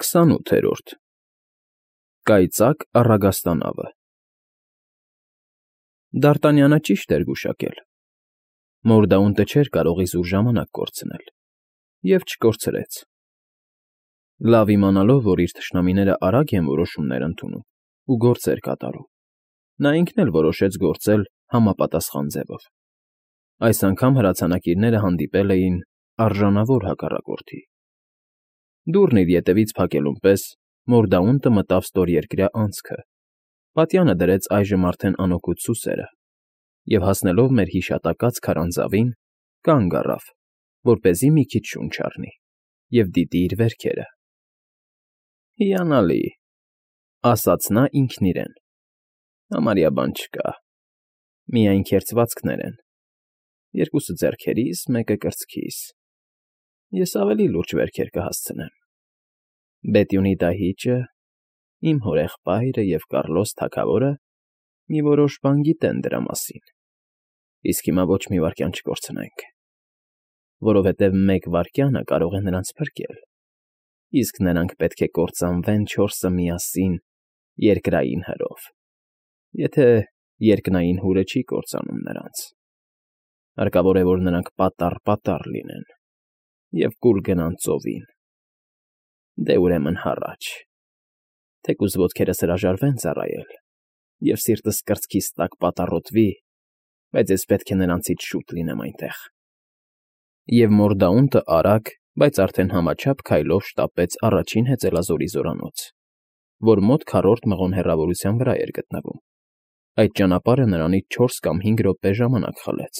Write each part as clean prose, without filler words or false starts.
28-րդ Կայծակ առագաստանավը Դարտանյանը ճիշտ էր գուշակել. Մորդաունտը չէր կարող իզուր ժամանակ կորցնել, և չկորցրեց. լավ իմանալով, որ իր թշնամիները արագ են որոշումներ ընդունում ու գործեր կատարում, նա ինքն էլ որոշեց գործել համապատասխան ձևով. այս անգամ հրացանակիրները հանդիպել էին արժանավոր հակառակորդի. դուռն իր ետևից փակելուն պես Մորդաունտը մտավ ստորերկրյա անցքը, պատյանը դրեց այժմ արդեն անօգուտ սուսերը և, հասնելով մեր հիշատակած քարանձավին, կանգ առավ, որպեսզի մի քիչ շունչ առնի և դիտի իր վերքերը։ «Հիանալի,֊ ասաց նա ինքն իրեն,֊ համարյա բան չկա, միայն քերծվածքներ են, երկուսը ձեռքերիս, մեկը կրծքիս, ես ավելի լուրջ վերքեր կհասցնեմ. Բետյունի դահիճը, իմ հորեղբայրը և Կառլոս թագավորը մի որոշ բան գիտեն դրա մասին, իսկ հիմա ոչ մի վայրկյան չկորցնենք, որովհետև մեկ վայրկյանը կարող է նրանց փրկել, իսկ նրանք պետք է կործանվեն չորսը միասին երկրային հրով, եթե երկնային հուրը չի կործանում նրանց, հարկավոր է, որ նրանք պատառ լինեն և կուլ գնան ծովին։ Դե ուրեմն հառաչ, թեկուզ ոտքերս հրաժարվեն ծառայել, և սիրտս կրծքիս տակ պատառոտվի, բայց ես պետք է նրանցից շուտ լինեմ այնտեղ»։ Եվ Մորդաունտը արագ, բայց արդեն համաչափ քայլով շտապեց առաջին հեծելազորի զորանոց, որ մոտ քառորդ մղոն հեռավորության վրա էր գտնվում. այդ ճանապարհը նրանից 4 կամ 5 րոպե ժամանակ խլեց։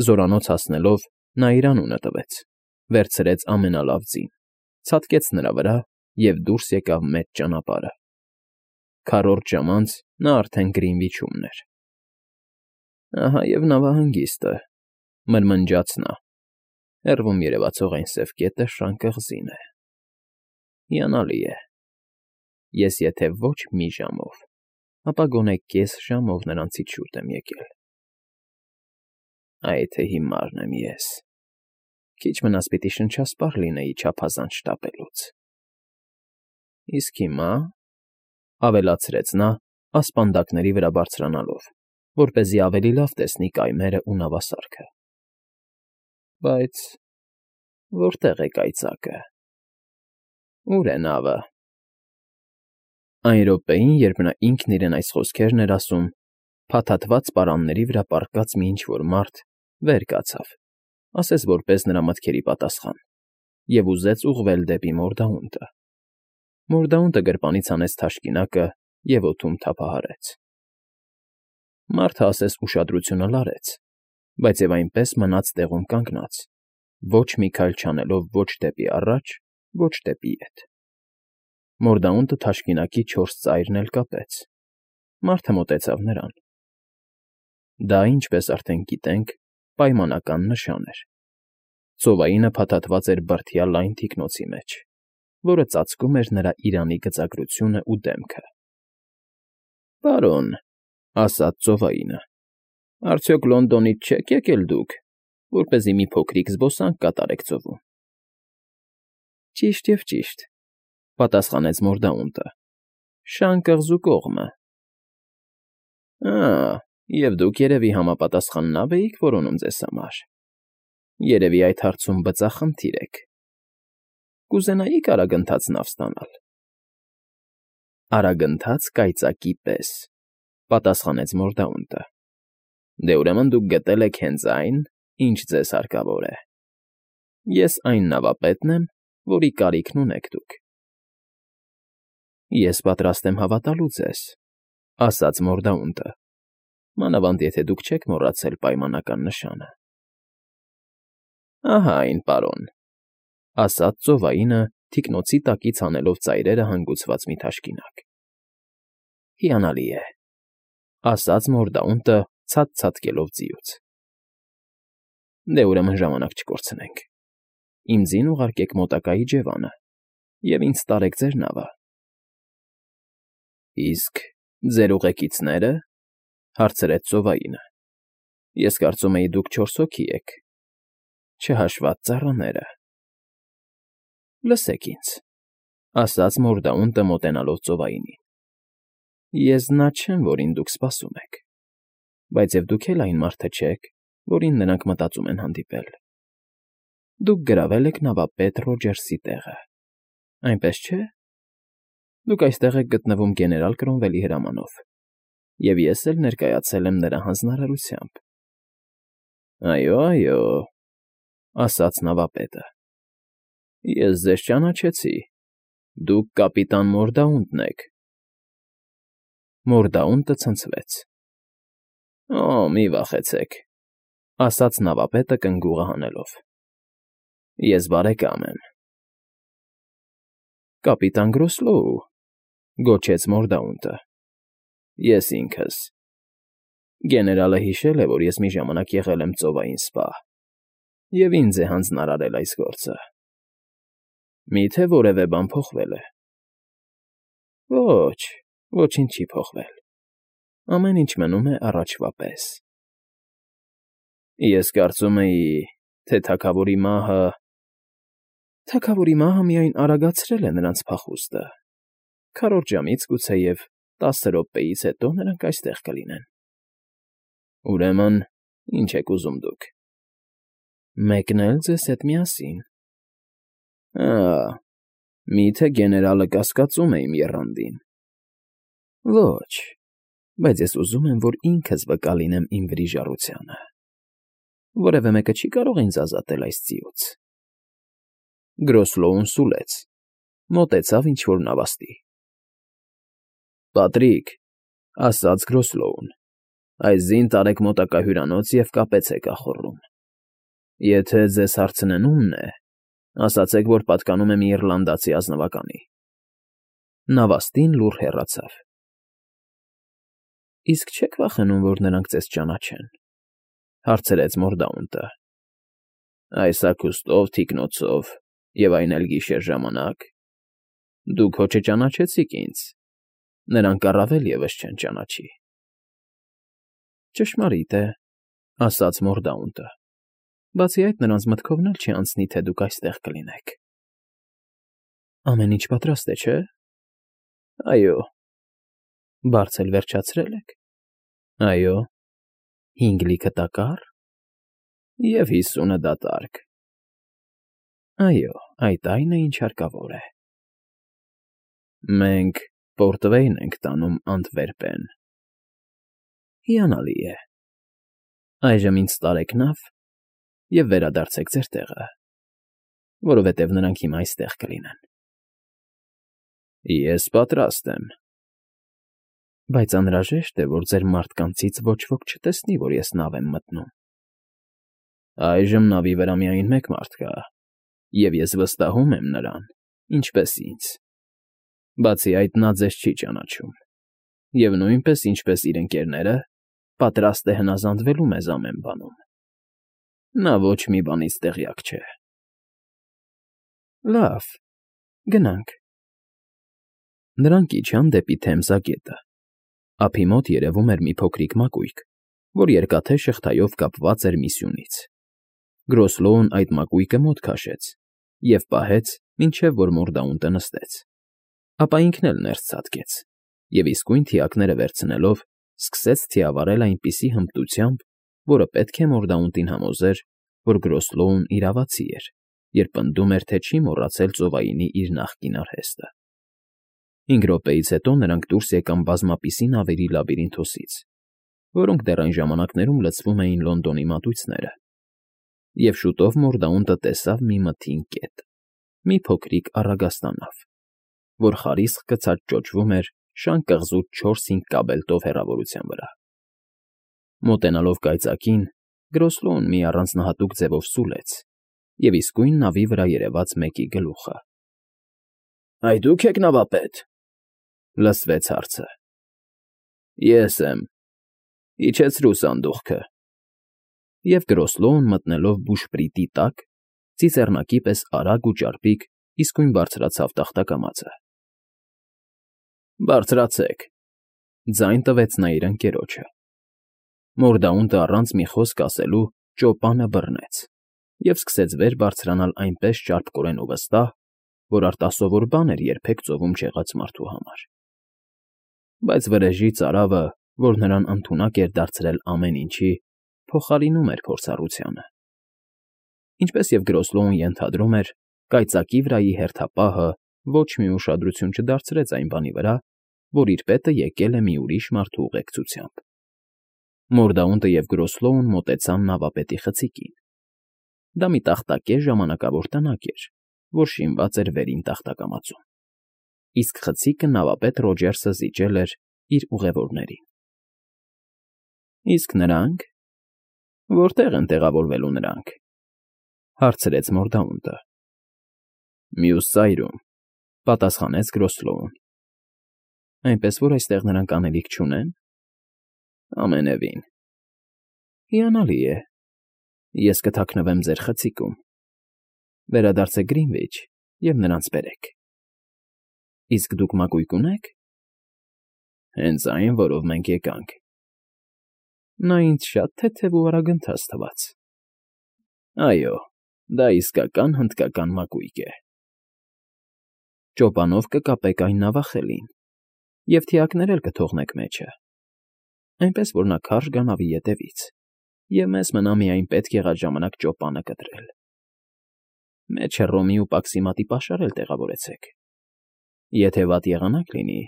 Զորանոց հասնելով՝ նա իր անունը տվեց, վերցրեց ամենալավ ձին, ցատկեց նրա վրա և դուրս եկավ մեծ ճանապարհը։ Քառորդ ժամ անց նա արդեն Գրինվիչում էր։ «Ահա և նավահանգիստը,֊ մրմնջաց նա,֊ հեռվում երևացող այն սև կետը շան կղզին է։ Հիանալի է, ես եթե ոչ մի ժամով, ապա գոնե կես ժամով նրանցից շուտ եմ եկել։ Այ թե հիմարն եմ ես, քիչ մնաց պիտի շնչասպառ լինեի չափազանց շտապելուց։ Իսկ հիմա,֊ ավելացրեց նա, ասպանդակների վրա բարձրանալով, որպեսզի ավելի լավ տեսնի կայմերն ու նավասարքը,֊ բայց որտե՞ղ է կայծակը, ո՞ւր է նավը»։ Այն րոպեին, երբ նա ինքն իրեն այս խոսքերն էր ասում, փաթաթված պարանների վրա պառկած մի ինչ֊որ մարդ վեր կացավ, ասես որպես նրա մտքերի պատասխան, և ուզեց ուղղվել դեպի Մորդաունտը։ Մորդաունտը գրպանից հանեց թաշկինակը և օդում թափահարեց։ Մարդը ասես ուշադրությունը լարեց, բայց և այնպես մնաց տեղում կանգնած, ոչ մի քայլ չանելով ոչ դեպի առաջ, ոչ դեպի ետ։ Մորդաունտը թաշկինակի 4 ծայրն էլ կապեց։ Մարդը մոտեցավ նրան։ Դա, ինչպես արդեն գիտենք, պայմանական նշան էր։ Ծովայինը փաթաթված էր բրդյա լայն թիկնոցի մեջ, որը ծածկում էր նրա իրանի գծագրությունն ու դեմքը։ «Պարոն,֊ ասաց ծովայինը,֊ արդյոք Լոնդոնից չեք եկել դուք, որպեսզի մի փոքրիկ զբոսանք կատարեք ծովում»։ «Ճիշտ և ճիշտ,֊ պատասխանեց Մորդաունտը,֊ Շան կղզու կողմը»։ «Ա՜, և դուք, երևի, համապատասխան նավ էիք որոնում ձեզ համար։ Երևի այդ հարցում բծախնդիր եք։ Կուզենայի՞ք արագընթաց նավ ստանալ»։ «Արագընթաց կայծակի պես,֊ պատասխանեց Մորդաունտը։ Դե ուրեմն դուք գտել եք հենց այն, ինչ ձեզ հարկավոր է։ Ես այն նավապետն եմ, որի կարիքն ունեք դուք»։ «Ես պատրաստ եմ հավատալու ձեզ,֊ ասաց Մորդաունտը,֊ մանավանդ եթե դուք չեք մոռացել պայմանական նշանը»։ «Ահա այն, պարոն,֊ ասաց ծովայինը, թիկնոցի տակից հանելով ծայրերը հանգուցված մի թաշկինակ։ «Հիանալի է,֊ ասաց Մորդաունտը, ցած ցատկելով ձիուց։ Դե ուրեմն ժամանակ չկորցնենք։ Իմ ձին ուղարկեք մոտակա իջևանը և ինձ տարեք ձեր նավը»։ «Իսկ ձեր ուղեկիցնե՞րը,֊ հարցրեց ծովայինը։ Ես կարծում էի դուք 4 հոգի եք, չհաշված ծառաները»։ «Լսեք ինձ,֊ ասաց Մորդաունտը մոտենալով ծովայինին։ Ես նա չեմ, որին դուք սպասում եք, բայց և դուք էլ այն մարդը չեք, որին նրանք մտածում են հանդիպել։ Դուք գրավել եք նավապետ Ռոջերսի տեղը, այնպես չէ՞։ Դուք այստեղ եք գտնվում գեներալ Կրոնվելի հրամանով, և ես էլ ներկայացել եմ նրա հանձնարարությամբ։ Այո, այո, ասաց նավապետը։ Ես ձեզ ճանաչեցի։ Դուք կապիտան Մորդաունտն եք։ Մորդաունտը ցնցվեց։ Օ, մի վախեցեք, ասաց նավապետը կնգուղը հանելով։ Ես բարեկամ եմ։ Կապիտան Գրոսլոու, գոչեց Մորդաունտը։ Ես ինքս։ Գեներալը հիշել է, որ ես մի ժամանակ եղել եմ ծովային սպա, և ինձ է հանձնարարել այս գործը։ Մի՞թե որևէ բան փոխվել է։ Ոչ, ոչինչ չի փոխվել։ Ամեն ինչ մնում է առաջվա պես։ Ես կարծում էի, թե թագավորի մահը… Թագավորի մահը միայն արագացրել է նրանց փախուստը։ Քառորդ ժամից, գուցեև 10 րոպեից հետո նրանք այստեղ կլինեն։ Ուրեմն, ինչ եք ուզում դուք։ Մեկնել ձեզ հետ միասին։ Մի՞թե գեներալը կասկածում է իմ եռանդին։ Ոչ, բայց ես ուզում եմ, որ ինքս վկա լինեմ իմ վրիժառությանը։ Որևէ մեկը չի կարող ինձ ազատել այս ձիուց։ Գրոսլոուն սուլեց, մոտեցավ ինչ֊որ նավաստի։ Պատրիկ, ասաց Գրոսլոուն, այս ձին տարեք մոտակա հյուրանոց և կապեցեք ախոռում։ Եթե ձեզ հարցնեն ումն է, ասացեք, որ պատկանում է մի իռլանդացի ազնվականի։ Նավաստին լուռ հեռացավ։ Իսկ չեք վախենում, որ նրանք ձեզ ճանաչեն, հարցրեց Մորդաունտը։ Այս հագուստով, թիկնոցով և այն էլ գիշեր ժամանակ։ Դուք հո չճանաչեցիք ինձ, նրանք առավել ևս չեն ճանաչի։ Ճշմարիտ է, ասաց Մորդաունտը։ Բացի այդ, նրանց մտքովն էլ չի անցնի, թե դուք այստեղ կլինեք։ Ամեն ինչ պատրաստ է, չէ՞։ Այո։ Բարձ էլ վերջացրել եք։ Այո։ 5 լիքը տակառ։ Եվ 50-ը դատարկ։ Այո, այդ այն է, ինչ հարկավոր է։ Մենք Պորտվեյն ենք տանում Անտվերպեն։ Հիանալի է։ Այժմ ինձ տարեք նավ և վերադարձեք ձեր տեղը, որովհետև նրանք հիմա այստեղ կլինեն։ Ես պատրաստ եմ։ Բայց անհրաժեշտ է, որ ձեր մարդկանցից ոչ ոք չտեսնի, որ ես նավ եմ մտնում։ Այժմ նավի վրա միայն մեկ մարդ կա, և ես վստահում եմ նրան, ինչպես ինձ։ Բացի այդ, նա ձեզ չի ճանաչում, և նույնպես, ինչպես իր ընկերները, պատրաստ է հնազանդվելու մեզ ամեն բանում։ Նա ոչ մի բանից տեղյակ չէ։ Լավ, գնանք։ Նրանք իջան դեպի Թեմզա գետը։ Ափի մոտ երևում էր մի փոքրիկ մակույկ, որ երկաթե շղթայով կապված էր մի սյունից։ Գրոսլոուն այդ մակույկը մոտ քաշեց և պահեց, մինչև որ Մորդաունտը նստեց։ Ապա ինքն էլ ներս ցատկեց և իսկույն թիակները վերցնելով սկսեց թիավարել այնպիսի հմտությամբ, որը պետք է Մորդաունտին համոզեր, որ Գրոսլոուն իրավացի էր, երբ պնդում էր, թե չի մոռացել ծովայինի իր նախկին արհեստը։ 5 րոպեից հետո նրանք դուրս եկան բազմապիսի նավերի լաբիրինթոսից, որոնք դեռ այն ժամանակներում լցվում էին Լոնդոնի մատույցները, և շուտով Մորդաունտը տեսավ մի մթին կետ, մի փոքրիկ առագաստանավ, որ խարիսխ գցած ճոճվում էր շան կղզուց 4-5 կաբելտով հեռավորության վրա։ Մոտենալով կայծակին, Գրոսլոուն մի առանձնահատուկ ձևով սուլեց և իսկույն նավի վրա երևաց մեկի գլուխը։ Այ դուք եք նավապետ,֊ լսվեց հարցը։ Ես եմ, իջեցրու սանդուղքը։ Եվ Գրոսլոուն մտնելով բուշպրիտի տակ, ծիծեռնակի պես արագ ու ճարպիկ իսկույն բարձրացավ տախտակամածը։ Բարձրացեք,֊ ձայն տվեց նա իր ընկերոջը։ Մորդաունտը առանց մի խոսք ասելու ճոպանը բռնեց և սկսեց վեր բարձրանալ այնպես ճարպկորեն ու վստահ, որ արտասովոր բան էր երբեք ծովում չեղած մարդու համար։ Բայց վրեժի ծարավը, որ նրան ընդունակ էր դարձրել ամեն ինչի, փոխարինում էր փորձառությանը։ Ինչպես և Գրոսլոուն ենթադրում էր, կայծակի վրայի հերթապահը ոչ մի ուշադրություն չդարձրեց այն բանի վրա, որ իր պետը եկել է մի ուրիշ մարդու ուղեկցությամբ։ Մորդաունտը և Գրոսլոուն մոտեցան նավապետի խցիկին։ Դա մի տախտակե ժամանակավոր տնակ էր, որ շինված էր վերին տախտակամածում, իսկ խցիկը նավապետ Ռոջերսը զիջել էր իր ուղևորներին։ Իսկ նրանք… Որտե՞ղ են տեղավորվելու նրանք,֊ հարցրեց Մորդաունտը։ Մյուս ծայրում,֊ պատասխանեց Գրոսլոուն։ Այնպես որ այստեղ նրանք անելիք չունե՞ն։ Ամենևին։ Հիանալի է։ Ես կթաքնվեմ ձեր խցիկում։ Վերադարձեք Գրինվիչ և նրանց բերեք։ Իսկ դուք մակույկ ունե՞ք։ Հենց այն, որով մենք եկանք։ Նա ինձ շատ թեթև ու արագընթաց թվաց։ Այո, դա իսկական հնդկական մակույկ է։ Ճոպանով կկապեք այն նավախելին և թիակներ էլ կթողնեք մեջը, այնպես որ նա քարշ գա նավի ետևից, և մեզ մնա միայն պետք եղած ժամանակ ճոպանը կտրել։ Մեջը ռոմի ու պաքսիմատի պաշար էլ տեղավորեցեք։ Եթե վատ եղանակ լինի,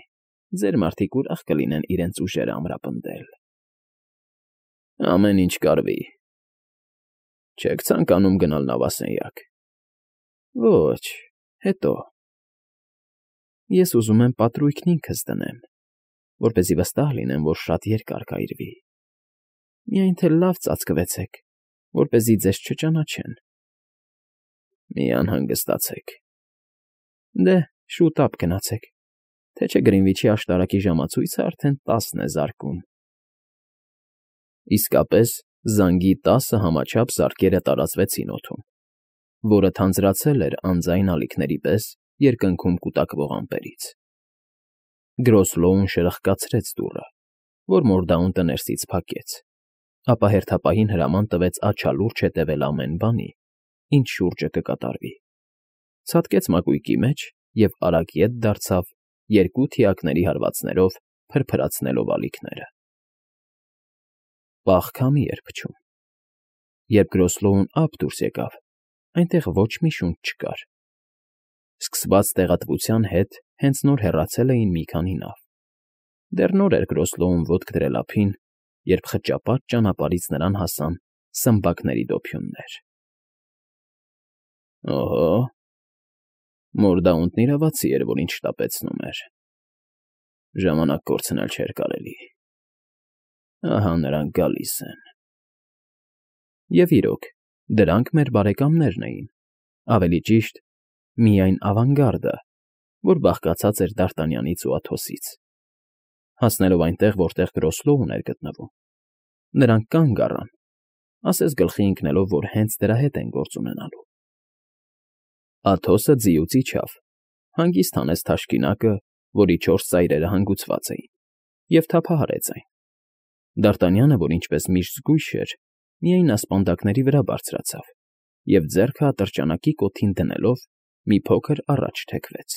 ձեր մարդիկ ուրախ կլինեն իրենց ուժերը ամրապնդել։ Ամեն ինչ կարվի։ Չեք ցանկանում գնալ նավասենյակ։ Ոչ, հետո։ Ես ուզում եմ պատրույգն ինքս դնեմ, որպեսզի վստահ լինեմ, որ շատ երկար կայրվի։ Միայն թե լավ ծածկվեցեք, որպեսզի ձեզ չճանաչեն։ Մի անհանգստացեք։ Դե, շուտ ապ գնացեք, թե չէ Գրինվիչի աշտարակի ժամացույցը արդեն 10 է զարկում։ Իսկապես, զանգի 10 համաչափ զարկերը տարածվեցին օդում, որը թանձրացել էր անձայն ալիքների պես երկնքում կուտակվող ամպերից։ Գրոսլոուն շրխկացրեց դուռը, որ Մորդաունտը ներսից փակեց, ապա հերթապահին հրաման տվեց աչալուրջ հետևել ամեն բանի, ինչ շուրջը կկատարվի։ Ցատկեց մակույկի մեջ և արագ ետ դարձավ, երկու թիակների հարվածներով փրփրացնելով ալիքները։ Պաղ քամի էր փչում։ Երբ Գրոսլոուն ափ դուրս եկավ, այնտեղ ոչ մի շունչ չկար։ Սկսված տեղատվության հետ հենց նոր հեռացել էին մի քանի նավ։ Դեռ նոր էր Գրոսլոուն ոտք դրել ափին, երբ խճապատ ճանապարհից նրան հասան սմբակների դոփյուններ։ Օհո, Մորդաունտն իրավացի էր, որ ինչ շտապեցնում էր։ Ժամանակ կորցնել չէր կարելի։ Ահա նրանք գալիս են։ Եվ իրոք, դրանք մեր բարեկամներն էին, ավելի ճիշտ, միայն ավանգարդը, որ բաղկացած էր Դ'Արտանյանից ու Աթոսից։ Հասնելով այնտեղ, որտեղ Գրոսլոուն էր գտնվում, նրանք կանգ առան, ասես գլխի ընկնելով, որ հենց դրա հետ են գործ ունենալու։ Աթոսը ձիուց իջավ, հանգիստ հանեց թաշկինակը, որի 4 ծայրերը հանգուցված էին, և թափահարեց այն։ Դ'Արտանյանը, որ ինչպես միշտ զգույշ էր, միայն ասպանդակների վրա բարձրացավ և ձեռքը ատրճանակի կոթին դնելով մի փոքր առաջ թեքվեց։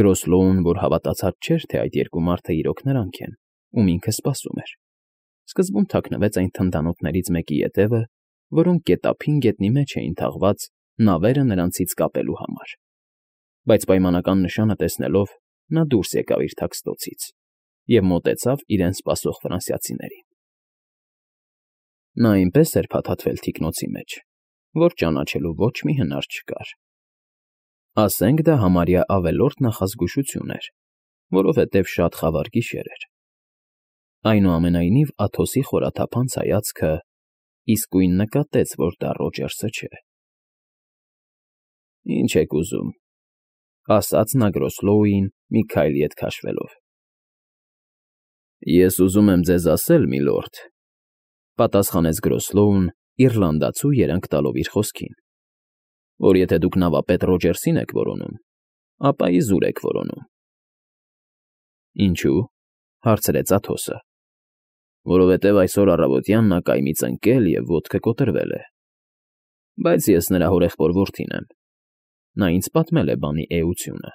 Գրոսլոուն, որ հավատացած չէր, թե այդ երկու մարդը իրոք նրանք են, ում ինքը սպասում էր, սկզբում թաքնվեց այն թնդանոթներից մեկի ետևը, որոնք գետափին գետնի մեջ էին թաղված նավերը նրանցից կապելու համար։ Բայց պայմանական նշանը տեսնելով, նա դուրս եկավ իր թաքստոցից և մոտեցավ իրեն սպասող ֆրանսիացիներին։ Նա այնպես էր փաթաթվել թիկնոցի մեջ, որ ճանաչելու ոչ մի հնար չկար։ Ասենք դա համարյա ավելորդ նախազգուշություն էր, որովհետև շատ խավար գիշեր էր։ Այնուամենայնիվ Աթոսի խորաթափանց հայացքը իսկույն նկատեց, որ դա Ռոջերսը չէ։ Ինչ եք ուզում,֊ ասաց նա Գրոսլոուին մի քայլ ետ քաշվելով։ Ես ուզում եմ ձեզ ասել, միլորդ,֊ պատասխանեց Գրոսլոուն իռլանդացու երանգ տալով իր խոսքին, որ եթե դուք նավապետ Ռոջերսին եք որոնում, ապա իզուր եք որոնում։ Ինչու՞, հարցրեց Աթոսը։ Որովհետև այսօր առավոտյան նա կայմից ընկել և ոտքը կոտրվել է։ Բայց ես նրա հորեղբոր որդին եմ։ նա ինձ պատմել է բանի էությունը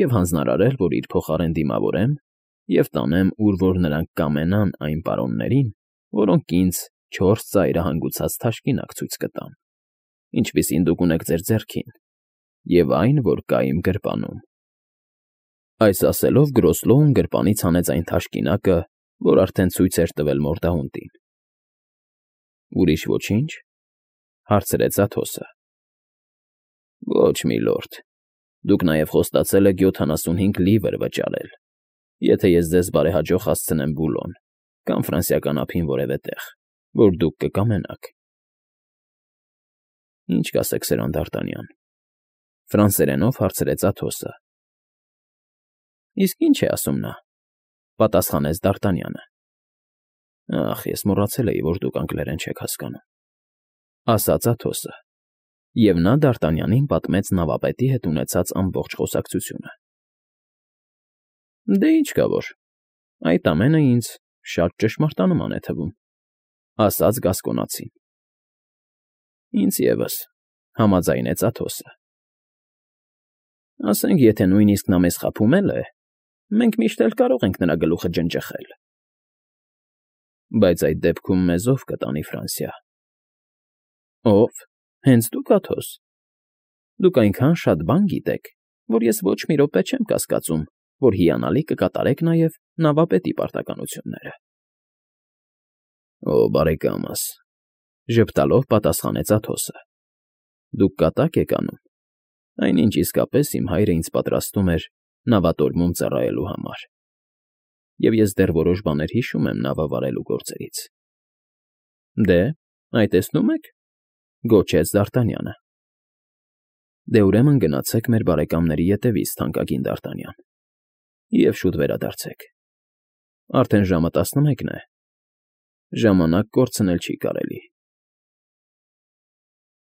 և հանձնարարել, որ իր փոխարեն դիմավորեմ և տանեմ, ուր որ նրանք կամենան այն պարոններին, որոնք ինձ 4 ծայրահանգուցած թաշկինակ ցույց կտան, ինչպիսին դուք ունեք ձեր ձեռքին, և այն, որ կա իմ գրպանում։ Այս ասելով Գրոսլոուն գրպանից հանեց այն թաշկինակը, որ արդեն ցույց էր տվել մորդահունտին։ Ուրիշ ոչինչ, հարցրեց Աթոսը։ Ոչ, միլորդ, դուք նաև խոստացել եք 75 լիվր վճարել, եթե ես ձեզ բարեհաջող հասցնեմ Բուլոն կամ ֆրանսիական ափին որևէ տեղ, որ դուք կկամենաք։ Ինչ կասեք սրան, Դ'Արտանյան, ֆրանսերենով հարցրեց Աթոսը։ Իսկ ինչ է ասում նա, պատասխանեց Դ'Արտանյանը։ Ախ, ես մոռացել էի, որ դուք անգլերեն չեք հասկանում, ասաց Աթոսը, և նա Դ'Արտանյանին պատմեց նավապետի հետ ունեցած ամբողջ խոսակցությունը։ Դե ինչ կա որ, այդ ամենը ինձ շատ ճշմարտանման է թվում, ասաց Գասկոնացին։ Ինձ ևս, համաձայնեց Աթոսը։ Ասենք, եթե նույնիսկ նա մեզ խաբում էլ է, մենք միշտ էլ կարող ենք նրա գլուխը ջնջխել։ Բայց այդ դեպքում մեզ ով կտանի Ֆրանսիա։ Ով։ Հենց դուք, Աթոս։ Դուք այնքան շատ բան գիտեք, որ ես ոչ մի րոպե չեմ կասկածում, որ հիանալի կկատարեք նաև նավապետի պարտականությունները։ Օ, բարեկամս, ժպտալով պատասխանեց Աթոսը։ Դուք կատակ եք անում, այնինչ իսկապես իմ հայրը ինձ պատրաստում էր նավատորմում ծառայելու համար, և ես դեռ որոշ բաներ հիշում եմ նավը վարելու գործերից։ Դե, այ տեսնում եք, գոչեց Դ'Արտանյանը։ Դե ուրեմն գնացեք մեր բարեկամների ետևից, թանկագին Դ'Արտանյան, և շուտ վերադարձեք։ Արդեն ժամը 11 է, ժամանակ կորցնել չի կարելի։